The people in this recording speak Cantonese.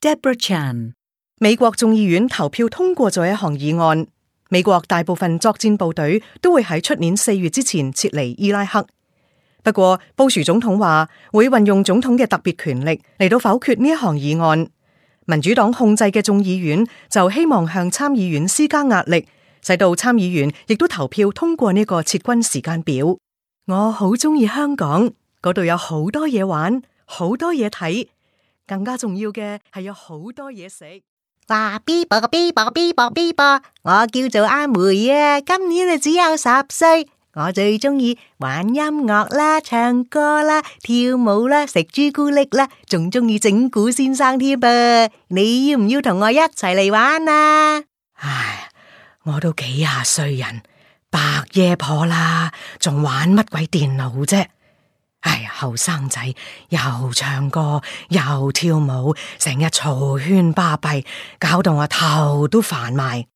Deborah Chan。美國眾議院投票通過咗一項議案，美國大部分作戰部隊都會喺出年4月之前撤離伊拉克。不過，布殊總統話會運用總統嘅特別權力嚟到否決呢一項議案。民主黨控制嘅眾議院就希望向參議院施加壓力，使到參議員亦都投票通過呢個撤軍時間表。我好鍾意香港，嗰度有好多嘢玩，好多嘢睇，更加重要嘅係有好多嘢食。話 B 啵個 B 啵 B 啵 B 啵，我叫做阿梅啊，今年只有10歲。我最中意玩音樂啦、唱歌啦、跳舞啦、食朱古力啦，仲中意整蠱先生添噃。你要唔要同我一齊嚟玩啊？唉，我都幾廿歲人，白夜婆啦，仲玩乜鬼電腦啫？唉，後生仔又唱歌又跳舞，成日嘈喧巴閉，搞到我頭都煩埋。